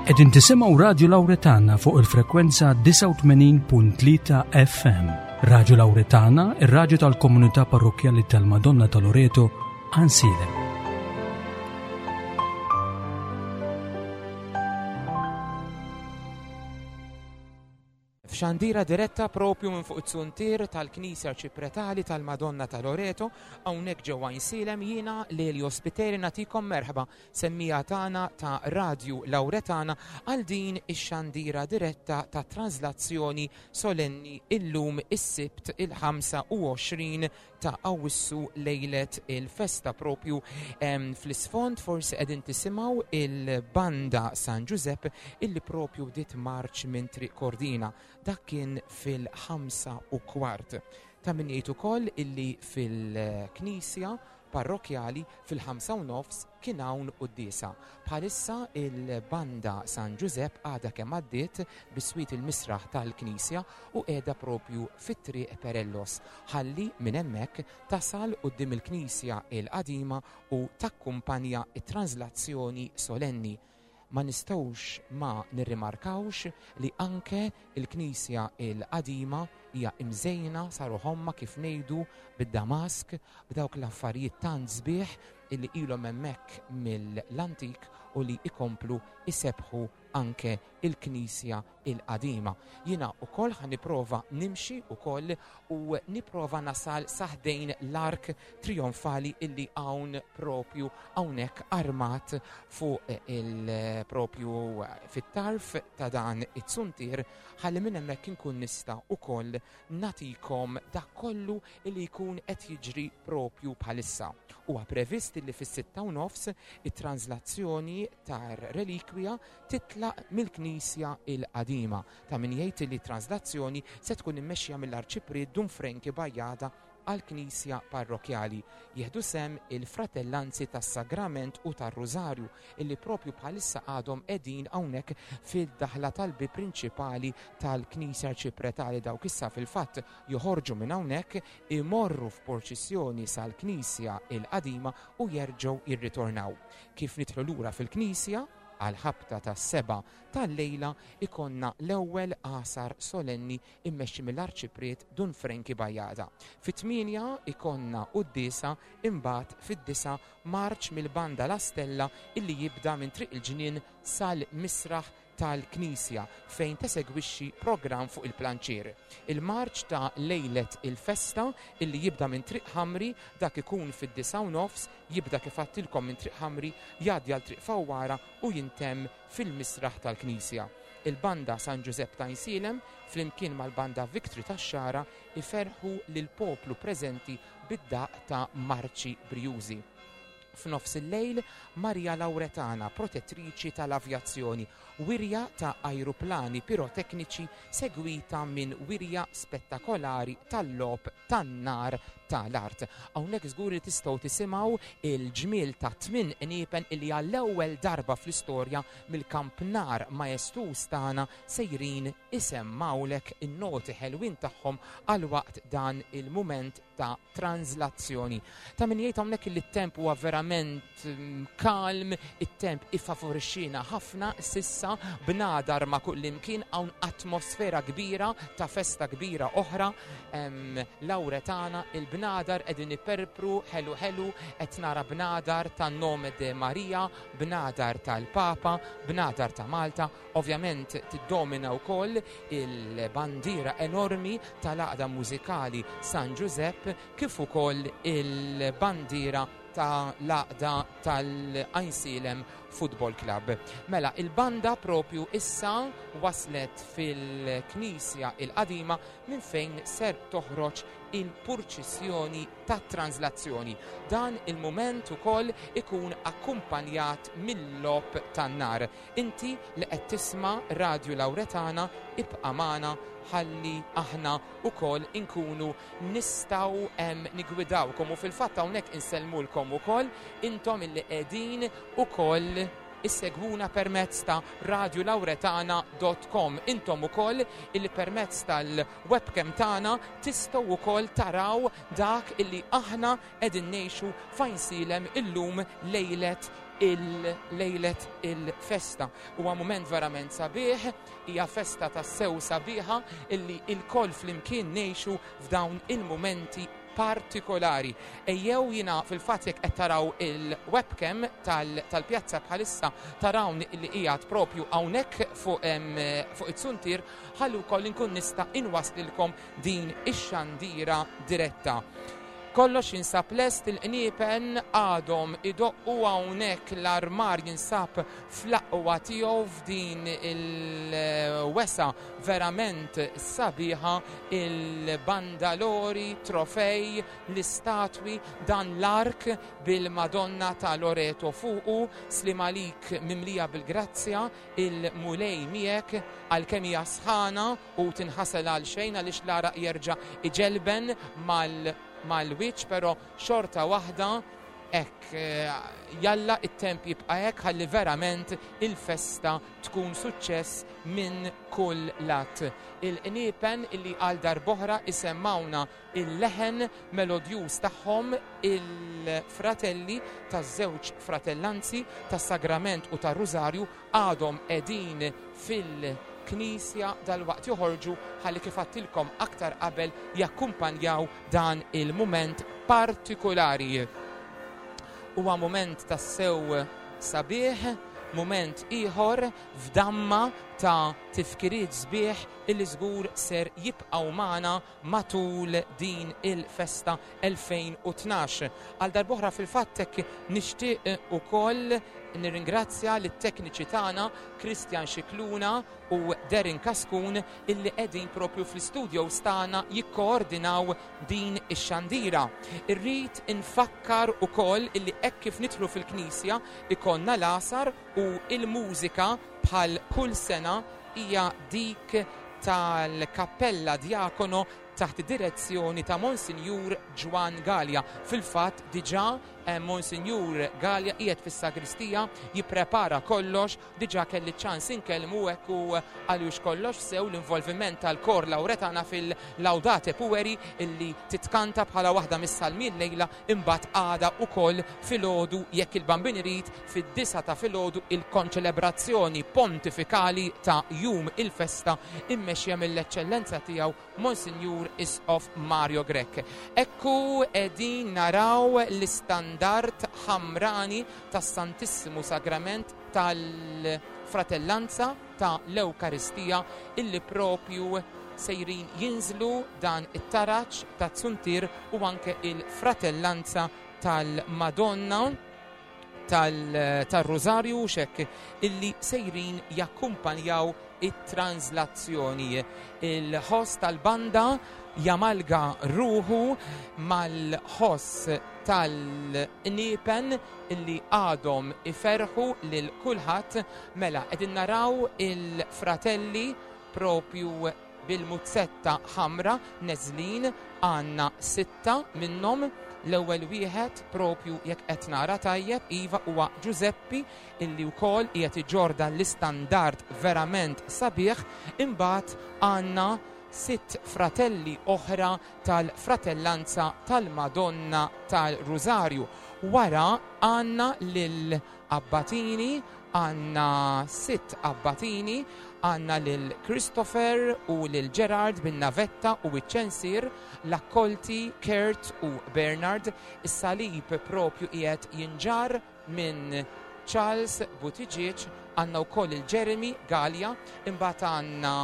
Qegħdin tisimgħu Radju Lawretana fuq il-frekwenza 89.3 FM. Radju Lawretana, ir-radju tal-komunità parrokkjali tal-Madonna ta' Loreto, Ansilem. F'xandira diretta propju minn fuq it-zuntier tal-Knisja Arċipretali tal-Madonna ta' Loreto, hawnhekk ġewwa Għajnsielem jiena Lelio Spiteri nagħtikom merħba semmiegħa tagħna ta' Radju Lawretana għal din ix-xandira diretta ta' translazzjoni solenni illum is-Sibt il-25 ta' Awwissu lejlet il-festa propju fl-isfond forsi qegħdin tisimgħu il-banda San Ġużepp illi propju bdiet marċ minn Triq Kordina. Dak kien fil-5 u kwart. Ta' min jgħid ukoll illi fil-knisja parrokkjali fil-5 u nofs kien hawn quddiesa. Bħalissa il-banda San Ġużepp għadha kemm għaddiet biswit il-misraħ tal-knisja u qiegħda propju fi Triq Perellos ħalli minn hemmhekk tasal quddiem il-knisja l-qadima u takkumpanja t-translazzjoni solenni. Ma nistgħux ma nirrimarkawx li anke l-knisja l-qadima hija imżejna sa ruħ ommha kif ngħidu bid-damask, b'dawk l-affarijiet tant sbieħ illi ilhom hemmhekk mill-antik u li jkomplu jsebbħu anke il-knisja il-qadima. Jiena ukoll ħa nipprova nimxi ukoll u nipprova nasal sa ħdejn l-ark trijonfali illi hawn propju hawnhekk armat fuq il-propju fit-tarf ta' dan it-suntier ħalli minn hemmhekk inkun nista' ukoll nagħtikom dak kollu li jkun qed jiġri propju bħalissa. Huwa previst li fis-6:30 it-translazzjoni tar-relikwija titlaq mill-knisja l-qadima. Ta' min jgħid li t-translazzjoni se tkun immexxija mill-Arċipriet Dun Frenki Bajada għall-knisja parrokkjali. Jieħdu sehem il-Fratellanzi tas-Sagrament u tar-Rużarju illi propju bħalissa għadhom qegħdin hawnhekk fid-daħla tal-bieb prinċipali tal-Knisja Arċipretali. Dawk issa fil-fatt joħorġu minn hawnhekk, imorru f'purċissjoni sal-knisja l-qadima u jerġgħu jirritornaw. Kif nidħlu lura fil-knisja, għall-ħabta tas-sebgħa tal-lejla ikollna l-ewwel għasar solenni immexxi mill-Arċipriet Dun Frenki Bajada. Fit-tmienja ikollna quddiesa imbagħad fid-disgħa marċ mill-Banda La Stella illi jibda minn Triq il-Ġnien sal-Misraħ tal-Knisja fejn tesegwixxi programm fuq il-planċier. Il-marċ ta' lejlet il-festa illi jibda minn Triq Ħamri dak ikun fid-disgħa u nofs, jibda kif għadtilkom minn Triq Ħamri, jgħaddi għal Triq Fawwara u jintemm fil-misraħ tal-Knisja. Il-Banda San Ġużepp t'Għajnsielem flimkien mal-Banda Victory tax-Xagħra iferrħu lill-poplu preżenti bid-daqq ta' marċi brijużi. F'nofs il-lejl, Maria Lauretana, protettriċi tal-avjazzjoni, wirja ta' ajruplani pirotekniċi segwita minn wirja spettakolari tal-logħob tan-nar ta' l-art. Hawnhekk żgur li tistgħu tisimgħu il-ġmiel ta' tminn qniepen illi għall-ewwel darba fl-istorja mill-kampnar majestuż tagħna sejrin isemmgħulek in-noti ħelwin tagħhom għal waqt dan il-mument ta' tranżlazzjoni. Ta' min jgħid hawnhekk li t-temp huwa verament mm, kalm, it-temp ifavorixxina ħafna sissa bnadar ma' kullimkien hawn atmosfera kbira ta' festa kbira oħra Lawretana il-bnadar qegħdin iperpru ħelu ħelu qed nara bnadar tan-Nome de Maria, bnadar tal-Papa, bnadar ta' Malta, Ovvjament tiddomina wkoll il-bandiera enormi tal-Għaqda Mużikali San Ġużepp kif ukoll il-bandiera ta' l-Għaqda tal-Għajnsielem Football Club. Mela, il-banda propju issa waslet fil-Knisja il-Qadima minn fejn ser toħroġ il-purċissjoni tat-tranżlazzjoni. Dan il-mument ukoll ikun akkumpanjat mil-logħob tan-nar. Inti li qed tisma' Radju Lawretana ibqa' magħna ħalli aħna wkoll inkunu nistgħu nigwidawkom u fil-fatt hawnhekk insellmulkom ukoll intom illi qegħdin ukoll issegwuna permezz ta' radiolawretana dot com. Intom ukoll illi permezz tal-webcam tagħna tistgħu wkoll taraw dak illi aħna qegħdin ngħixu f'Għajnsielem illum lejlet. il-lejlet il-festa. Huwa mument verament sabiħ, hija festa tassew sabiħa illi il-koll flimkien ngħixu f'dawn il-mumenti partikolari. Ejjew jiena fil-fatt jekk qed taraw il-webcam tal-pjazza bħalissa tarawni illi qiegħed propju hawnhekk fuq fuq it-suntier ħalli wkoll inkun nista' inwaslilkom din ix-xandira diretta. Kollox jinsab lest, il-qniepen għadhom idoqqu hawnhekk l-armar jinsab fl-aqwa tiegħu f'din il-wesgħa verament sabiħa, il-bandalori, trofej, l-istatwi, dan l-ark bil-Madonna ta' Loreto fuqu, sliem għalik mimlija bil-grazzja, il-Mulej miegħek, għalkemm hija sħana u tinħasel għal xejn għaliex l-għaraq jerġa' iġelben mal-wiċċ, però xorta waħda hekk jalla it-temp jibqa' hekk ħalli verament il-festa tkun suċċess minn kull lat. Il-qniepen illi għal darb'oħra isemmawna il-leħen melodjuż tagħhom il-fratelli taż-żewġ fratellanzi tas-Sagrament u tar-Rużarju għadhom qegħdin fil-Knisja dalwaqt joħorġu ħalli kif għadtilkom aktar qabel jakkumpanjaw dan il-mument partikulari. Huwa mument tassew sabiħ, mument ieħor f'damma ta' tifkiriet sbieħ illi żgur ser jibqgħu magħna matul din il-festa 2012. Għal darb'oħra fil-fatt hekk nixtieq ukoll nirringrazzja lit-tekniċi tagħna Christian Scicluna u Darren Cascun illi qegħdin propju fl-istudios tagħna jikkoordinaw din ix-xandira. Irrid infakkar ukoll illi hekk kif nidħlu fil-knisja ikollna l-għasar u l-mużika bħal kull sena hija dik tal-Kappella Diacono taħt id-direzzjoni ta' Monsinjur Ġwann Galea. Fil-fatt diġà Monsinjur Galea qiegħed fis-sagristija jipprepara kollox, diġà kelli ċ-ċans inkellmu hekk u għaliex kollox sew l-involviment tal-Kor Lauretana fil-Laudate Pueri illi titkanta bħala waħda mis-salmi llejla imbagħad għada wkoll filgħodu jekk il-Bambin irid fid-disgħa ta' filgħodu il-konċelebrazzjoni pontifikali ta' jum il-festa immexxija mill-Eċċellenza Tiegħu Monsinjur Isqof Mario Grech. Ekku qegħdin naraw l-istandard ħamrani tas-Santissimu Sagrament tal-Fratellanza ta' l-Ewkaristija illi propju sejrin jinżlu dan it-taraġ taz-zuntier u anke il-Fratellanza tal-Madonna tar-Rużarju u x'hekk illi sejrin jakkumpanjaw it-tranżlazzjoni. Il-ħoss tal-banda jamalga ruħu mal-ħoss tal-qniepen illi għadhom iferrħu lil kulħadd. Mela qegħdin naraw il-fratelli propju bil-muzzetta ħamra neżlin, għandna sitta minnhom, l-ewwel wieħed propju jekk qed nara tajjeb, iva huwa Ġużeppi illi wkoll qiegħed iġorr dan l-istandard verament sabiħ, imbagħad għandna sitt fratelli oħra tal-Fratellanza tal-Madonna tal-Rużarju. Wara għandna lil Abbatini, għandna sitt abbatini, għandna lil Christopher u lil Gerard bin-navetta u ċ-ċensier, l-akkolti Kurt u Bernard, is-salib propju qiegħed jinġarr minn Charles Buttigieg, għandna wkoll lil Jeremy Galea, imbagħad għandna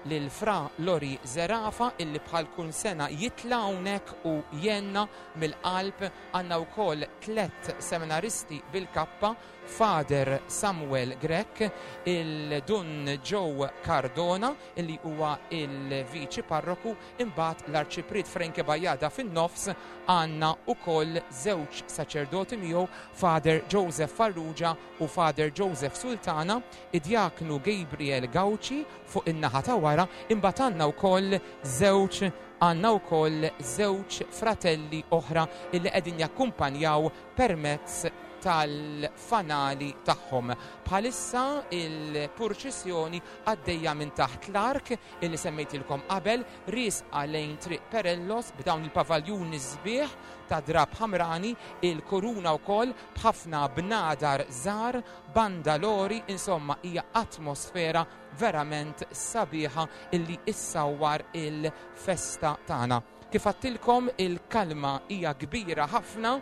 lil Fra Lori Zerafa illi bħal kull sena jitla' hawnhekk u jgħinna mill-qalb. Għandna wkoll tlett seminaristi bil-kappa, Father Samuel Grech, il-Dun Joe Cardona illi huwa il-Viċi Parroku, imbagħad l-Arċipriet Frankie Bajada fin-nofs, għandna wkoll żewġ saċerdoti miegħu, Father Joseph Farrugia u Father Joseph Sultana, id-Djaknu Gabriel Gauci fuq in-naħa ta' wara, imbagħad għandna wkoll żewġ għandna wkoll żewġ fratelli oħra illi qegħdin jakkumpanjaw permezz tal-fanali tagħhom. Bħalissa il-purċissjoni għaddejja minn taħt l-ark illi semmejtilkom qabel, riesqa lejn Triq Perellos b'dawn il-pavaljuni sbieħ ta' drab ħamrani, il-kuruna wkoll b'ħafna bnadar żgħar, bandalori, insomma hija atmosfera verament sabiħa illi issawwar il-festa tagħna. Kif għadtilkom il-kalma hija kbira ħafna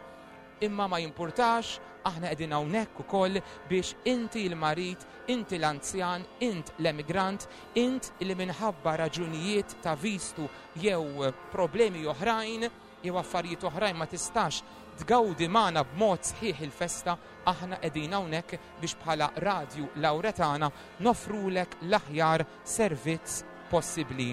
imma ma jimpurtax, aħna qegħdin hawnhekk ukoll biex inti l-marid, inti l-anzjan, int l-emigrant, int li minħabba raġunijiet ta' vistu jew problemi oħrajn jew affarijiet oħrajn ma tistax tgawdi magħna b'mod sħiħ il-festa, aħna qegħdin hawnhekk biex bħala Radju Lawretana noffrulek l-aħjar servizz possibbli.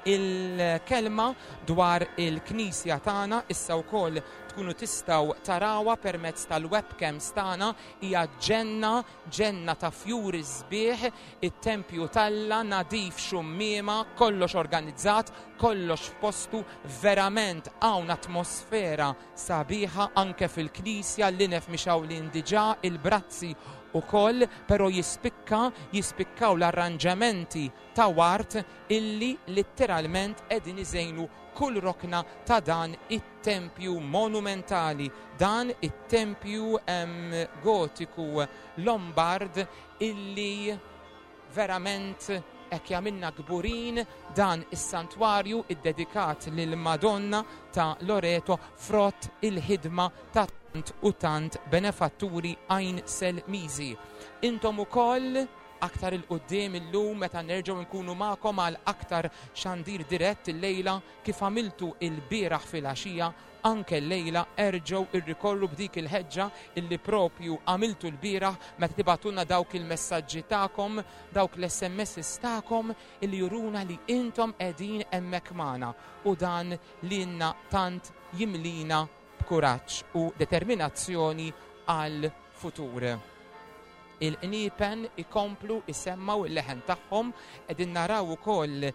Il-kelma dwar il-Knisja tagħna issa wkoll tkunu tistgħu tarawha permezz tal-webcams tagħna hija ġenna, ġenna ta' fjuri sbieħ, it-tempju t'Alla nadif xummiema, kollox organizzat, kollox f'postu, verament hawn atmosfera sabiħa anke fil-knisja, l-linef mixgħulin diġà, il-brazzi ukoll, però jispikka, jispikkaw l-arranġamenti ta' ward illi litteralment qegħdin iżejnu kull rokna ta' dan it-tempju monumentali, dan it-tempju gotiku Lombard illi verament hekk jagħmilna kburin dan is-santwarju iddedikat lill-Madonna ta' Loreto frott il-ħidma ta' tant u tant benefatturi Għajnselmiżi. Intom ukoll Aktar 'il quddiem illum meta nerġgħu nkunu magħkom għal aktar xandir dirett illejla kif għamiltu ilbieraħ filgħaxija, anke llejla erġgħu irrikorru b'dik il-ħeġġa illi propju għamiltu lbieraħ meta tibgħatulna dawk il-messaġġi tagħkom, dawk l-SMSs tagħkom illi juruna li intom qegħdin hemmhekk magħna u dan lilna tant jimlina b'kuraġġ u determinazzjoni għall-futur. Il-qniepen ikomplu jsemmgħu l-leħen tagħhom, qegħdin naraw ukoll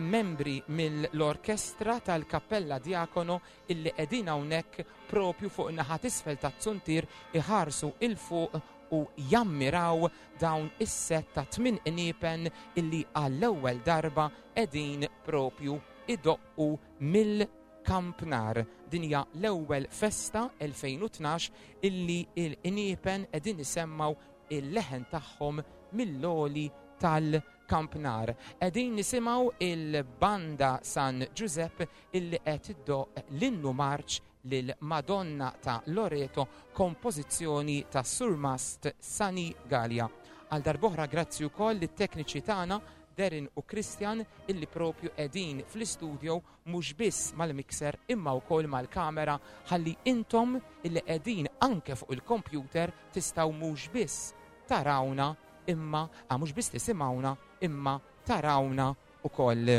membri mill-orkestra tal-Kappella Diacono illi qegħdin hawnhekk propju fuq in-naħa t'isfel taz-zuntier iħarsu 'il fuq u jammiraw dawn is-sett ta' tmien qniepen illi għall-ewwel darba qegħdin propju idoqqu mill Kampnar. Din hija l-ewwel festa 2012 illi l-qniepen qegħdin isemmgħu il-leħen tagħhom mill-għoli tal-Kampnar. Qegħdin nisimgħu il-Banda San Ġużepp illi qed iddoqq l-innu marċ lil Madonna ta' Loreto kompożizzjoni tas-Surmast Sunny Galea. Għal darb'oħra grazzi wkoll lit-tekniċi tagħna Darren u Christian illi propju qegħdin fl-istudio mhux biss mal-mixer imma wkoll mal-kamera ħalli intom illi qegħdin anke fuq il-kompjuter tistgħu mhux biss tarawna imma ah, mhux biss tisimgħuna imma tarawna ukoll.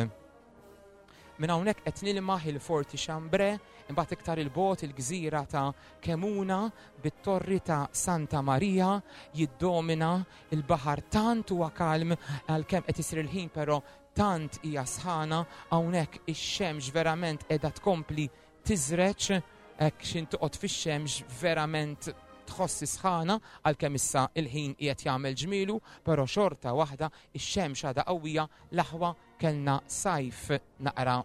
Minn hawnhekk qed nilmaħ il-Forti Chambre, imbagħad iktar il-bogħod il-gżira ta' Kemuna bit-torri ta' Santa Maria jiddomina il-baħar tant huwa kalm għalkemm qed isir il-ħin però Tant hija sħana, hawnhekk ix-xemx verament qiegħda tkompli tiżreġ, hekk x'int toqgħod fix-xemx verament tħoss is-sħana, għalkemm issa il-ħin qiegħed jagħmel ġmielu, però xorta waħda ix-xemx għadha qawwija, l-aħwa kellna sajf naqra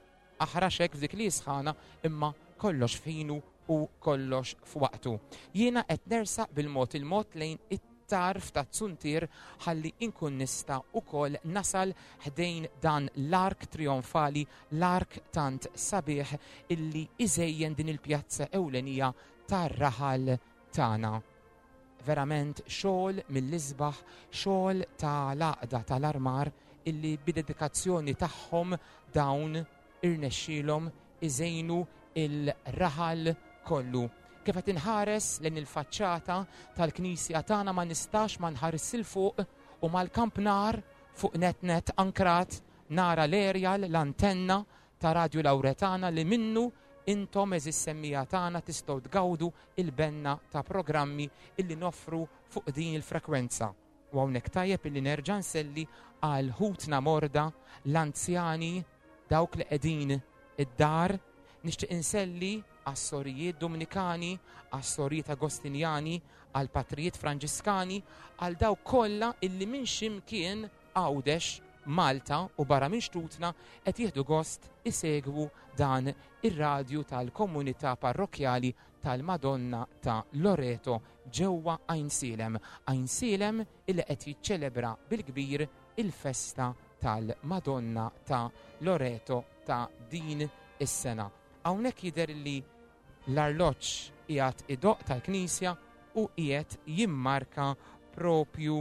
aħrax hekk f'dik li hi sħana imma kollox f'ħinu u kollox f'waqtu. Jiena qed nersaq bil-mod il-mod lejn it-tarf taz-zuntier ħalli inkun nista' ukoll nasal ħdejn dan l-ark trijonfali, l-ark tant sabiħ illi iżejjen din il-pjazza ewlenija tar-raħal tagħna. Verament xogħol mill-isbaħ, xogħol ta' l-għaqda tal-armar illi bid-dedikazzjoni tagħhom dawn irnexxielhom iżejnu l-raħal kollu. Kif qed inħares lejn il-faċċata tal-knisja tagħna ma nistax ma nħarisx 'il fuq u mal-kampnar fuq nett nett ankrat nara l-aerial, l-antenna ta' Radju Lawretana li minnu intom għeżież semmiegħa tagħna tistgħu tgawdu il-benna ta' programmi illi noffru fuq din il-frekwenza. U hawnhekk tajjeb illi nerġa' nselli għal ħutna morda, l-anzjani, dawk li qegħdin id-dar, nixtieq inselli għas-sorijiet Dumnikani, għas-sorijiet Agostinjani, għall-patrijiet Franġiskani, għal dawk kollha illi minn xi mkien Għawdex, Malta u barra minn xtutna qed jieħdu gost isegwu dan ir-radju tal-komunità parrokkjali tal-Madonna ta' Loreto ġewwa Għajnsielem. Għajnsielem illi qed jiċċelebra bil-kbir il-festa tal-Madonna ta' Loreto ta' din is-sena. Hawnhekk jidher li l-arloġġ qiegħed idoqq tal-knisja u qiegħed jimmarka propju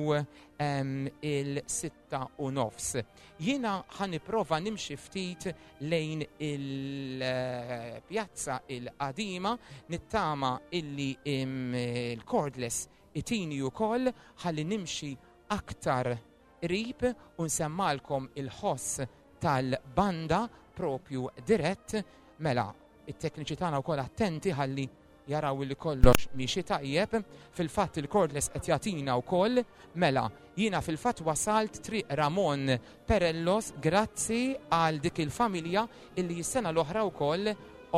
il-6:30. Jiena ħa nipprova nimxi ftit lejn il-pjazza il-qadima, nittama illi il-cordless itini wkoll ħalli nimxi aktar qrib u nsemmalkom il-ħoss tal-banda propju dirett. Mela, it-tekniċi tagħna wkoll attenti ħalli jaraw li kollox miexi tajjeb. Fil-fatt il-cordless qed jagħtina wkoll. Mela, jiena fil-fatt wasalt Triq Ramon Perellos grazzi għal dik il-familja illi s-sena l-oħra wkoll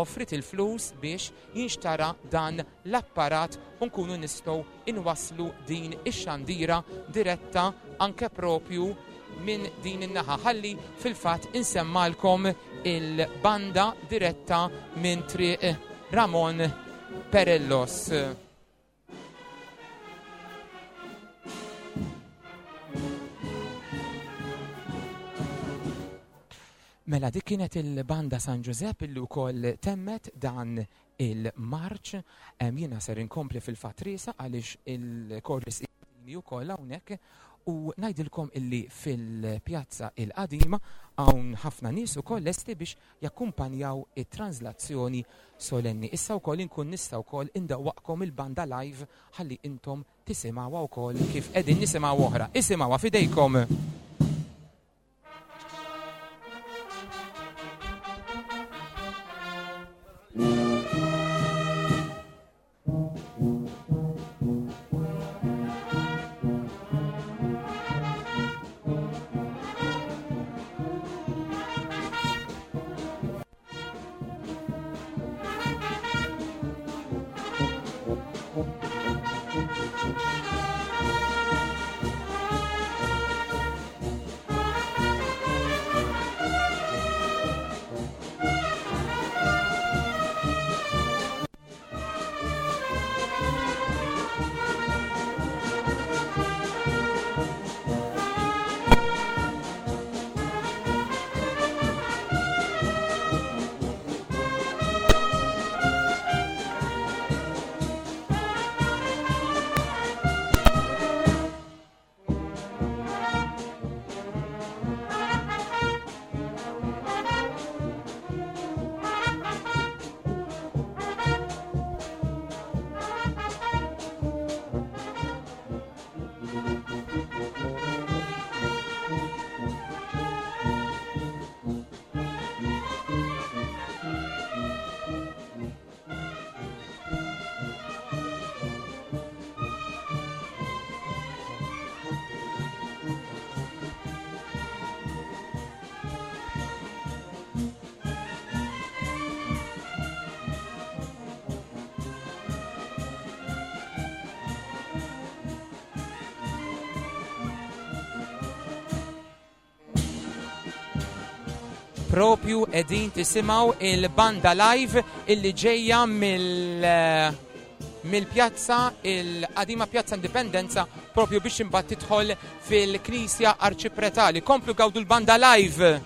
offrit il-flus biex jinxtara dan l-apparat u nkunu nistgħu inwasslu din ix-xandira diretta anke propju minn din in-naħa. Ħalli fil-fatt insemmalkom il-banda diretta minn Triq Ramon Perellos. Mela dik kienet il-banda San Ġużepp illi wkoll temmet dan il-marċ. Jiena ser inkompli fil-fatt riesa għaliex il-korris ukoll hawnhekk u ngħidilkom illi fil-pjazza il-qadima hawn ħafna nies ukoll lesti biex jakkumpanjaw it-translazzjoni solenni. Issa wkoll inkun nista' wkoll indewwaqkom il-banda live ħalli intom tisimgħuha wkoll kif qegħdin nisimgħu oħra. Isimgħuha f'idejkom. Propju edin tisimaw il-banda live illi ġejja mill-pjazza il-qadima Pjazza Indipendenza propju biex imbagħad tidħol fil-Knisja Arċipretali. Komplu gawdu l-banda live.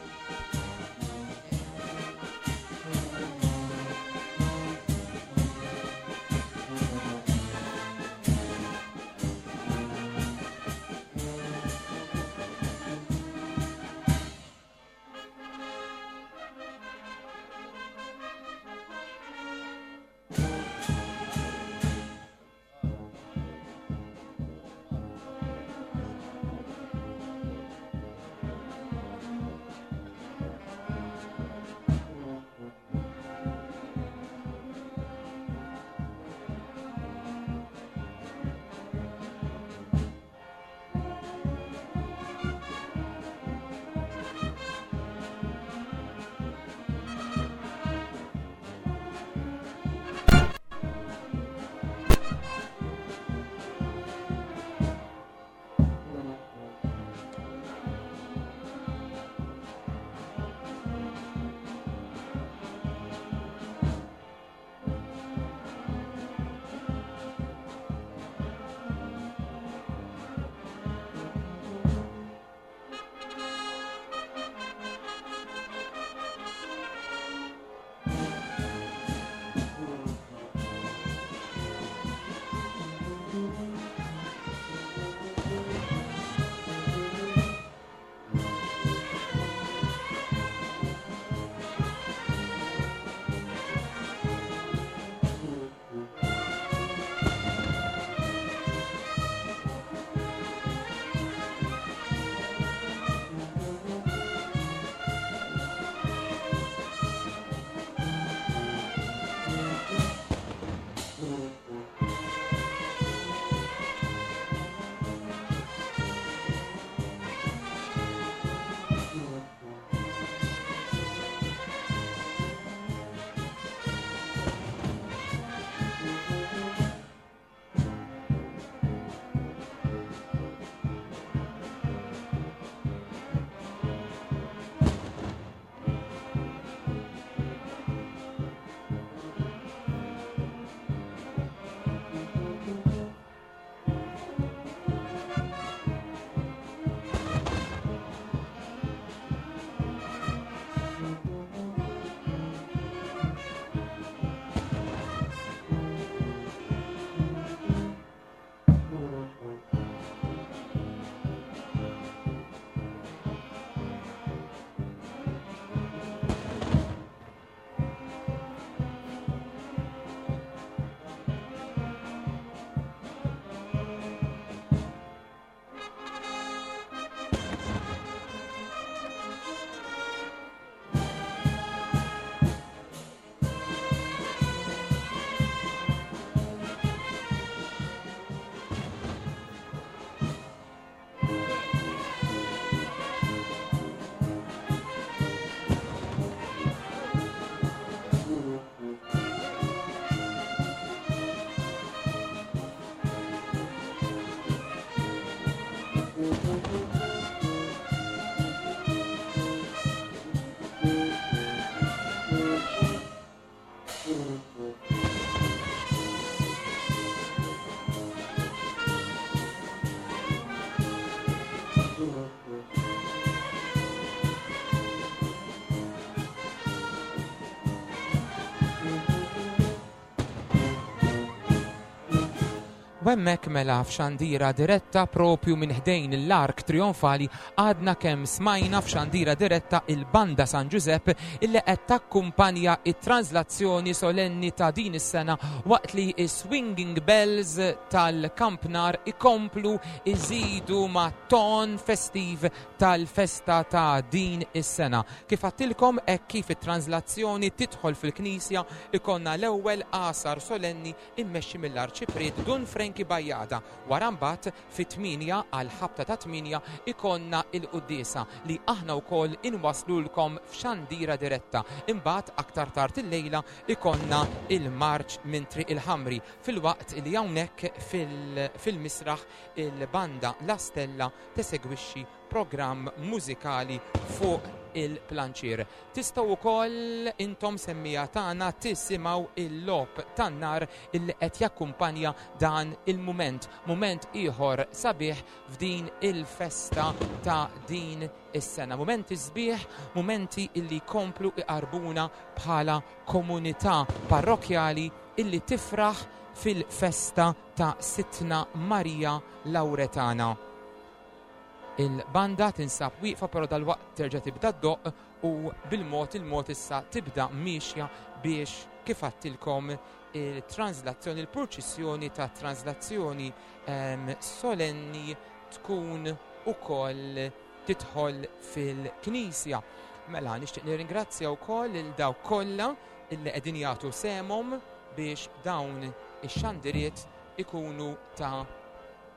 U hemmhekk mela f'xandira diretta propju minn ħdejn l-Ark Trionfali għadna kemm smajna f'xandira diretta il-Banda San Ġużepp illi qed takkumpanja it-translazzjoni solenni ta' din is-sena waqt li s-Swinging Bells tal-Kampnar ikomplu iżidu ma' ton festiv tal-festa ta' din is-sena. Kif għadtilkom hekk kif it-translazzjoni tidħol fil-Knisja ikonna l-ewwel għasar solenni immexxi mill-Arċipriet Dun Frankie Bajada. Wara mbagħad fit-tmienja għall-ħabta tat-tmienja ikollna l-quddiesa li aħna wkoll inwasslulkom f'xandira diretta. Imbagħad aktar tard illejla ikollna il-marċ minn Triq il-Ħamri filwaqt li hawnhekk fil-misraħ il-banda La Stella tesegwixxi programm mużikali fuq il-planċier. Tistgħu wkoll intom semmiegħa tagħna tisimgħu il-logħob tan-nar illi qed jakkumpanja dan il-mument, mument ieħor sabiħ f'din il-festa ta' din is-sena. Mumenti sbieħ, mumenti illi jkomplu iqarbuna bħala komunità parrokkjali illi tifraħ fil-festa ta' Sidtna Marija Lawretana. Il-banda tinsab wieqfa però dalwaqt terġa' tibda ddoqq u bil-mod il-mod issa tibda miexja biex kif għadtilkom il-translazzjoni, il-purċissjoni ta' translazzjoni ehm, solenni tkun ukoll tidħol fil-knisja. Mela nixtieq nirringrazzja wkoll lil dawk kollha illi qegħdin jagħtu sehemhom biex dawn ix-xandiriet ikunu ta'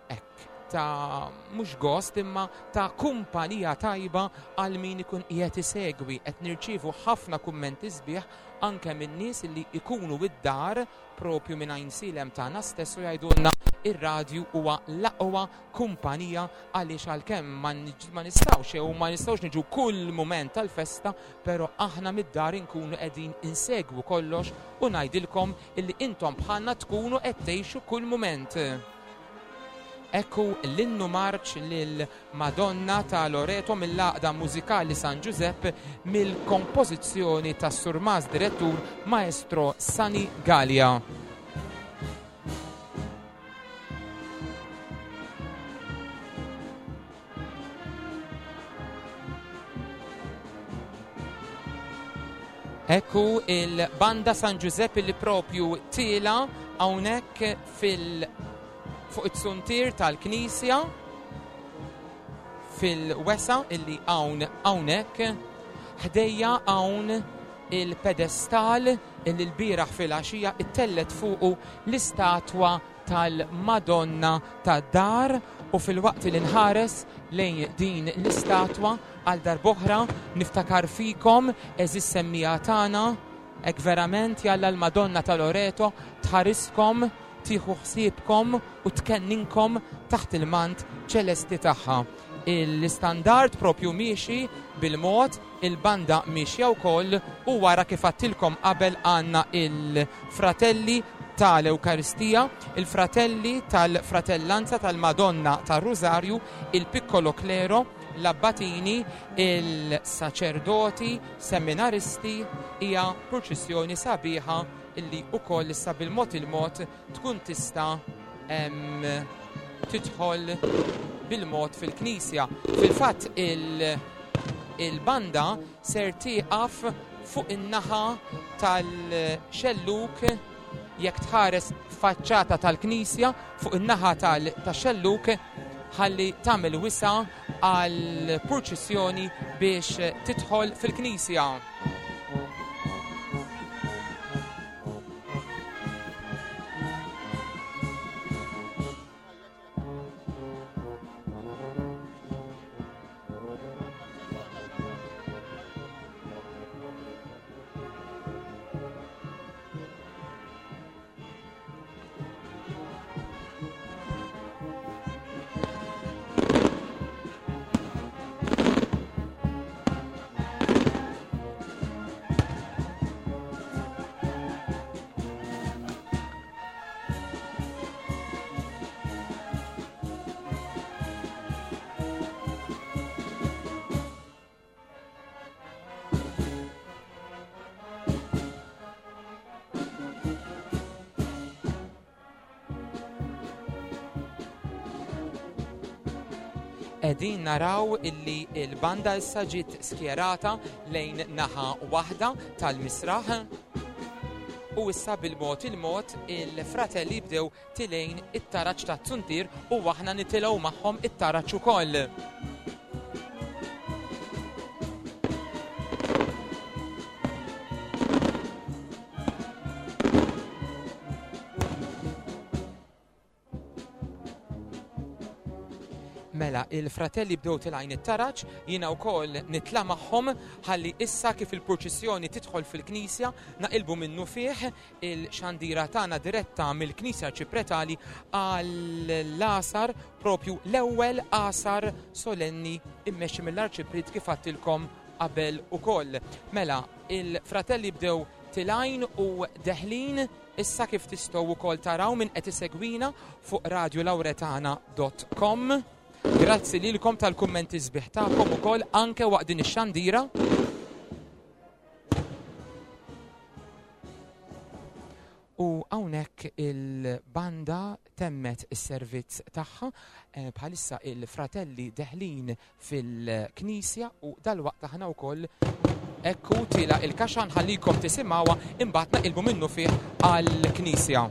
hekk ta' mhux gost imma ta' kumpanija tajba għal min ikun qiegħed isegwi. Qed nirċievu ħafna kummenti sbieħ anke minn nies li ikunu id-dar propju minn Għajnsielem tagħna stess u jgħidulna ir-radju huwa l-aqwa kumpanija għaliex għalkemm ma nistgħux jew ma nistgħux niġu kull mument tal-festa, però aħna mid-dar inkunu qegħdin insegwu kollox u ngħidilkom illi intom bħalna tkunu qed tgħixu kull mument. Hekk hu l-innu marċ lil Madonna ta' Loreto mill-Għaqda Mużikali San Ġużepp mill-kompożizzjoni tas-Surmast Direttur Maestro Sunny Galea. Hekk hu il-Banda San Ġużepp li propju tiela hawnhekk fil fuq it-suntier tal-Knisja fil-wesa illi hawn hawnhekk ħdejja hawn il-pedestal illi l-bieraħ fil-għaxija ittellet fuqu l-istatwa tal-Madonna tad-Dar u filwaqt li nħares lejn din l-istatwa għal darb'oħra niftakar fikom għeżież semmiegħa tagħna hekk verament jalla l-Madonna ta' Loreto tħariskom, tieħu ħsiebkom u tkenninkom taħt il-mant ċelesti tagħha. L-istandard propju miexi bil-mod, il-banda miexja wkoll u wara kif għadtilkom qabel għandna il-fratelli tal-Ewkaristija, il-fratelli tal-Fratellanza tal-Madonna tar-Rużarju, il-Piccolo Clero, l-abbatini, il-saċerdoti, seminaristi, hija purċissjoni sabiħa illi wkoll issa bil-mod il-mod tkun tista' tidħol bil-mod fil-knisja. Fil-fatt il-banda ser tieqaf fuq in-naħa tal-xelluk jekk tħares faċċata tal-knisja fuq in-naħa tax-xelluk ħalli tagħmel wisa għal purċissjoni biex tidħol fil-knisja. Qegħdin naraw illi l-banda issa ġiet skjerata lejn naħa waħda tal-misraħ u issa bil-mod il-mod il-fratelli bdew tilejn it-taraġ tat-zuntier u aħna nitilgħu magħhom it-taraġ ukoll. Mela, il-fratelli bdew tilgħin it-taraġ, jiena wkoll nitla' magħhom ħalli issa kif il-purċissjoni tidħol fil-knisja naqilbu minnufih il-xandira tagħna diretta mill-Knisja Arċipretali għall-għasar propju l-ewwel għasar solenni immexxi mill-Arċipriet kif għadtilkom qabel ukoll. Mela, il-fratelli bdew tilgħin u deħlin Issa kif tistgħu wkoll taraw min qed isegwina fuq radiolauretana.com. Grazzi lilkom tal-kummenti sbieħ tagħkom ukoll anke waqt din ix-xandira. U hawnhekk il-banda temmet is-servizz tagħha eh, bħalissa il-fratelli deħlin fil-knisja u dalwaqt aħna wkoll ekku tila il-kaxa nħallikom tisimgħuha imbagħad naqilbu minnu fih għall-knisja.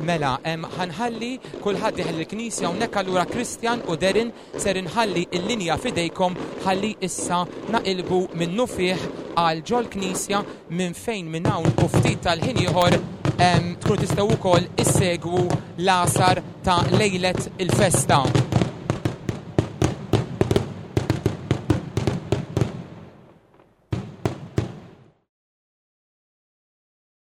Mela, ħanħalli kulħadd dieħel il-knisja hawnhekk allura Christian u Derin ser inħalli l-linja fidejkom ħalli issa naqilbu minnufih għal ġol-knisja minn fejn minn hawn u ftit tal-ħin ieħor tkunu tistgħu wkoll issegwu l-għasar ta' lejlet il-festa.